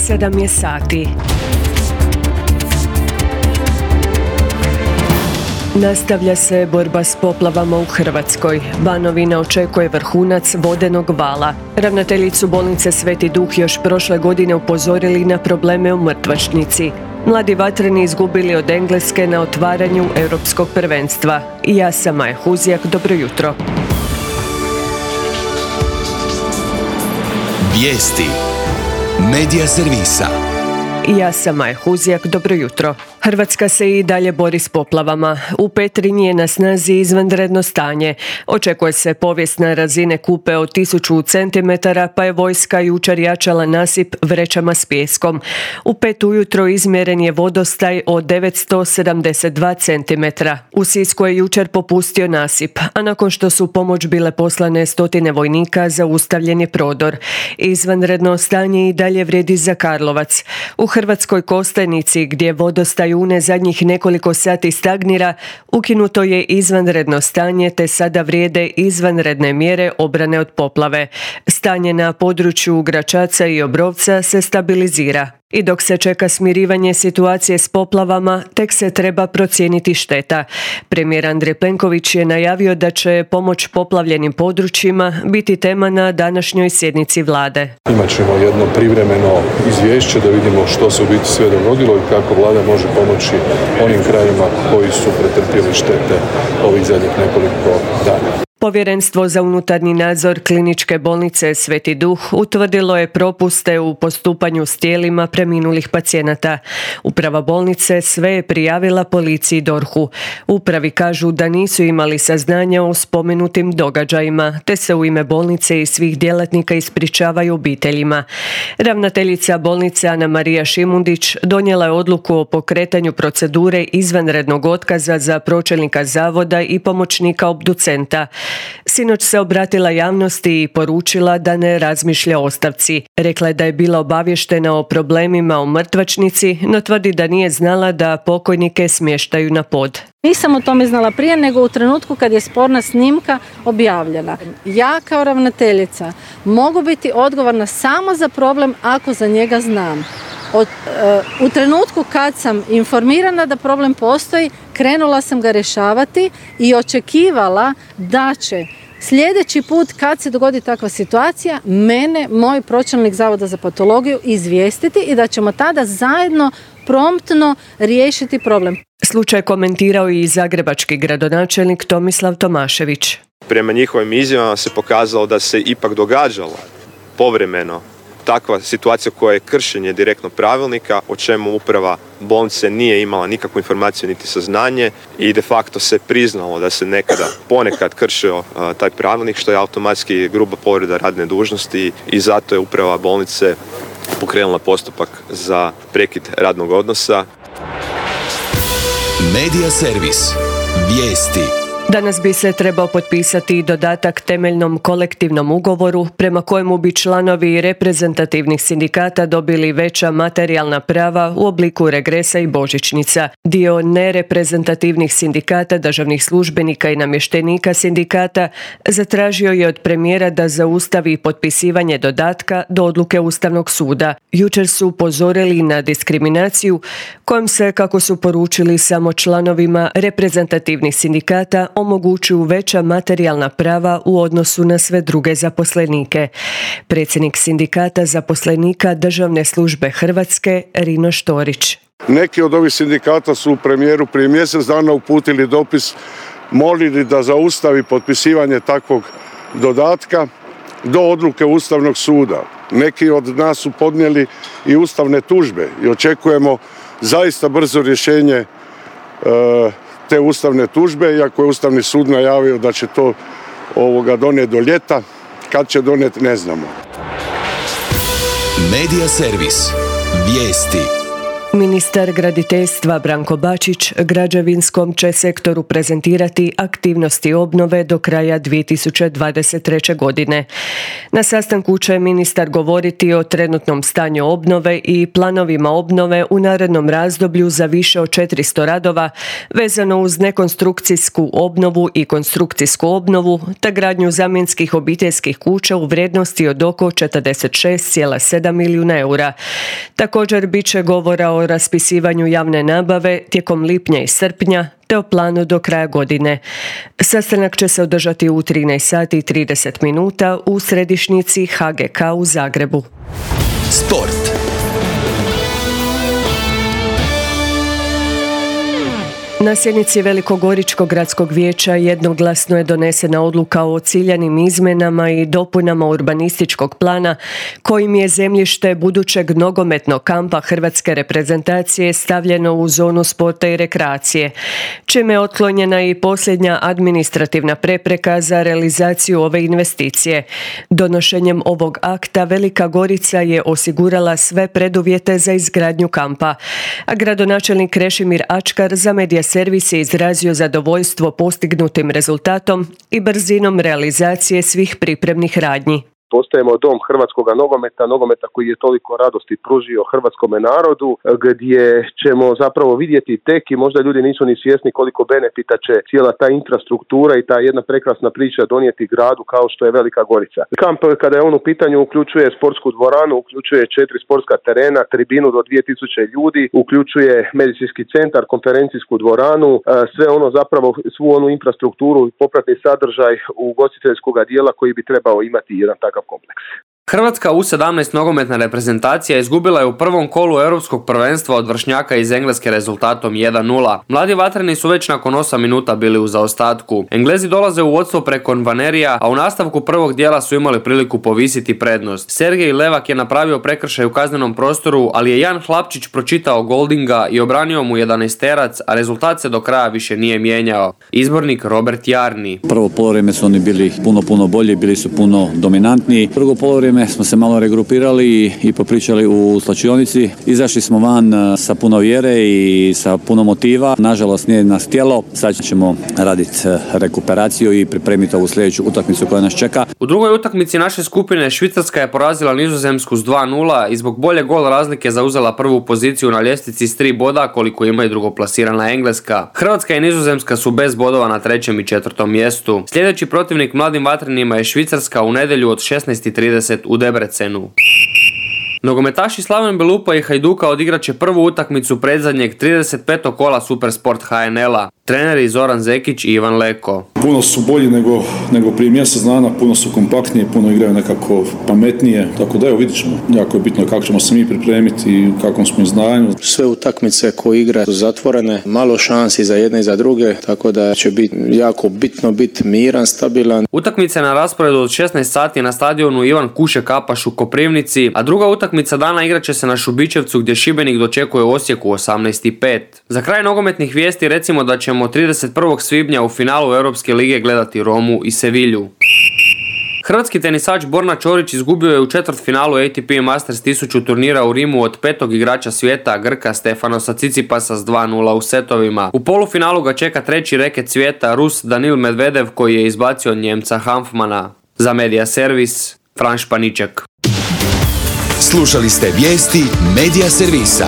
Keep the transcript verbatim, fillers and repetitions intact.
Sedam je sati. Nastavlja se borba s poplavama u Hrvatskoj. Banovina očekuje vrhunac vodenog vala. Ravnateljicu bolnice Sveti Duh još prošle godine upozorili na probleme u mrtvačnici. Mladi vatreni izgubili od Engleske na otvaranju europskog prvenstva. Ja sam Maja Huzjak, dobro jutro. Vijesti Medija servisa. Ja sam Maja Huzjak, dobro jutro. Hrvatska se i dalje bori s poplavama. U Petrinji je na snazi izvanredno stanje. Očekuje se povijesna razine kupe od tisuću centimetara, pa je vojska jučer jačala nasip vrećama s pijeskom. U pet ujutro izmjeren je vodostaj od devetsto sedamdeset dva centimetra. U Sisku je jučer popustio nasip, a nakon što su pomoć bile poslane stotine vojnika, zaustavljen je prodor. Izvanredno stanje i dalje vrijedi za Karlovac. U Hrvatskoj Kostajnici, gdje vodostaj Une zadnjih nekoliko sati stagnira, ukinuto je izvanredno stanje te sada vrijede izvanredne mjere obrane od poplave. Stanje na području Gračaca i Obrovca se stabilizira. I dok se čeka smirivanje situacije s poplavama, tek se treba procijeniti šteta. Premijer Andrej Plenković je najavio da će pomoć poplavljenim područjima biti tema na današnjoj sjednici vlade. Imat ćemo jedno privremeno izvješće da vidimo što se u biti sve dogodilo i kako vlada može pomoći onim krajevima koji su pretrpjeli štete ovih zadnjih nekoliko dana. Povjerenstvo za unutarnji nadzor Kliničke bolnice Sveti Duh utvrdilo je propuste u postupanju s tijelima preminulih pacijenata. Uprava bolnice sve je prijavila policiji i dorhu. Upravi kažu da nisu imali saznanja o spomenutim događajima, te se u ime bolnice i svih djelatnika ispričavaju obiteljima. Ravnateljica bolnice Ana Marija Šimundić donijela je odluku o pokretanju procedure izvanrednog otkaza za pročelnika zavoda i pomoćnika obducenta. Sinoć se obratila javnosti i poručila da ne razmišlja o ostavci. Rekla je da je bila obavještena o problemima u mrtvačnici, no tvrdi da nije znala da pokojnike smještaju na pod. Nisam o tome znala prije, nego u trenutku kad je sporna snimka objavljena. Ja kao ravnateljica mogu biti odgovorna samo za problem ako za njega znam. Od, uh, u trenutku kad sam informirana da problem postoji, krenula sam ga rješavati i očekivala da će sljedeći put kad se dogodi takva situacija mene, moj pročelnik Zavoda za patologiju izvijestiti i da ćemo tada zajedno promptno riješiti problem. Slučaj komentirao i zagrebački gradonačelnik Tomislav Tomašević. Prema njihovim izjavama se pokazalo da se ipak događalo povremeno takva situacija koja je kršenje direktno pravilnika, o čemu uprava bolnice nije imala nikakvu informaciju niti saznanje i de facto se priznalo da se nekada ponekad kršio uh, taj pravilnik, što je automatski gruba povreda radne dužnosti i zato je uprava bolnice pokrenula postupak za prekid radnog odnosa. Medija servis. Vijesti. Danas bi se trebao potpisati dodatak temeljnom kolektivnom ugovoru prema kojemu bi članovi reprezentativnih sindikata dobili veća materijalna prava u obliku regresa i božićnica. Dio nereprezentativnih sindikata, državnih službenika i namještenika sindikata zatražio je od premijera da zaustavi potpisivanje dodatka do odluke Ustavnog suda. Jučer su upozorili na diskriminaciju kojom se, kako su poručili, samo članovima reprezentativnih sindikata omogućuju veća materijalna prava u odnosu na sve druge zaposlenike. Predsjednik sindikata zaposlenika Državne službe Hrvatske Rino Štorić. Neki od ovih sindikata su premijeru prije mjesec dana uputili dopis, molili da zaustavi potpisivanje takvog dodatka do odluke Ustavnog suda. Neki od nas su podnijeli i ustavne tužbe i očekujemo zaista brzo rješenje e, te ustavne tužbe, iako je Ustavni sud najavio da će to ovoga donijeti do ljeta. Kad će donijeti, ne znamo. Medija servis. Vijesti. Ministar graditeljstva Branko Bačić građevinskom će sektoru prezentirati aktivnosti obnove do kraja dvije tisuće dvadeset treće. godine. Na sastanku će ministar govoriti o trenutnom stanju obnove i planovima obnove u narednom razdoblju za više od četiristo radova vezano uz nekonstrukcijsku obnovu i konstrukcijsku obnovu te gradnju zamjenskih obiteljskih kuća u vrijednosti od oko četrdeset šest zarez sedam milijuna eura. Također bit će govora o raspisivanju javne nabave tijekom lipnja i srpnja te o planu do kraja godine. Sastanak će se održati u trinaest sati i trideset minuta u središnjici ha ge ka u Zagrebu. Sport. Na sjednici Velikogoričkog gradskog vijeća jednoglasno je donesena odluka o ciljanim izmjenama i dopunama urbanističkog plana kojim je zemljište budućeg nogometnog kampa hrvatske reprezentacije stavljeno u zonu sporta i rekreacije, čime je otklonjena i posljednja administrativna prepreka za realizaciju ove investicije. Donošenjem ovog akta Velika Gorica je osigurala sve preduvjete za izgradnju kampa, a gradonačelnik Krešimir Ačkar za Medija Servis je izrazio zadovoljstvo postignutim rezultatom i brzinom realizacije svih pripremnih radnji. Postajemo dom hrvatskog nogometa, nogometa koji je toliko radosti pružio hrvatskome narodu, gdje ćemo zapravo vidjeti tek i možda ljudi nisu ni svjesni koliko benefita će cijela ta infrastruktura i ta jedna prekrasna priča donijeti gradu kao što je Velika Gorica. Kamp, kada je on u pitanju, uključuje sportsku dvoranu, uključuje četiri sportska terena, tribinu do dvije tisuće ljudi, uključuje medicinski centar, konferencijsku dvoranu, sve ono zapravo, svu onu infrastrukturu i popratni sadržaj ugostiteljskog dijela koji bi trebao imati jedan takav kompleks. Hrvatska U sedamnaest nogometna reprezentacija izgubila je u prvom kolu europskog prvenstva od vršnjaka iz Engleske rezultatom jedan nula. Mladi vatreni su već nakon osam minuta bili u zaostatku. Englezi dolaze u vodstvo preko Nvanerija, a u nastavku prvog dijela su imali priliku povisiti prednost. Sergej Levak je napravio prekršaj u kaznenom prostoru, ali je Jan Hlapčić pročitao Goldinga i obranio mu jedanaesterac, a rezultat se do kraja više nije mijenjao. Izbornik Robert Jarni. Prvo poluvreme su oni bili puno puno bolji, bili su puno dominantniji. Drugo poluvreme smo se malo regrupirali i, i popričali u slačionici. Izašli smo van sa puno vjere i sa puno motiva. Nažalost nije nas htjelo. Sad ćemo raditi rekuperaciju i pripremiti ovu sljedeću utakmicu koja nas čeka. U drugoj utakmici naše skupine Švicarska je porazila Nizozemsku s dva nula i zbog bolje gol razlike zauzela prvu poziciju na ljestvici s tri boda koliko ima i drugoplasirana Engleska. Hrvatska i Nizozemska su bez bodova na trećem i četvrtom mjestu. Sljedeći protivnik mladim vatrenima je Švicarska u nedjelju od šesnaest i trideset u Debrecenu. Nogometaši Slaven Belupa i Hajduka odigrat će prvu utakmicu predzadnjeg trideset petog kola Supersport ha en el-a. Treneri Zoran Zekić i Ivan Leko. Puno su bolji nego, nego prije mjesec dana, puno su kompaktnije, puno igraju nekako pametnije, tako da evo vidit ćemo. Jako je bitno kako ćemo se mi pripremiti i kakvom smo izdanju. Sve utakmice koje igra su zatvorene, malo šansi za jedne i za druge, tako da će biti jako bitno biti miran, stabilan. Utakmice na rasporedu od šesnaest sati na stadionu Ivan Kuše Kapaš u Koprivnici, a druga utakmica dana igrat će se na Šubićevcu gdje Šibenik dočekuje Osijeku osamnaest i pet. Za kraj nogometnih vijesti recimo da ćemo trideset prvog svibnja u finalu Europske lige gledati Romu i Sevilju. Hrvatski tenisač Borna Ćorić izgubio je u četvrtfinalu A T P Masters tisuću turnira u Rimu od petog igrača svijeta Grka Stefanosa Cicipasa s dva nula u setovima. U polufinalu ga čeka treći reket svijeta Rus Danil Medvedev koji je izbacio Njemca Hanfmana. Za Medija Servis, Fran Španiček. Slušali ste vijesti Medija Servisa.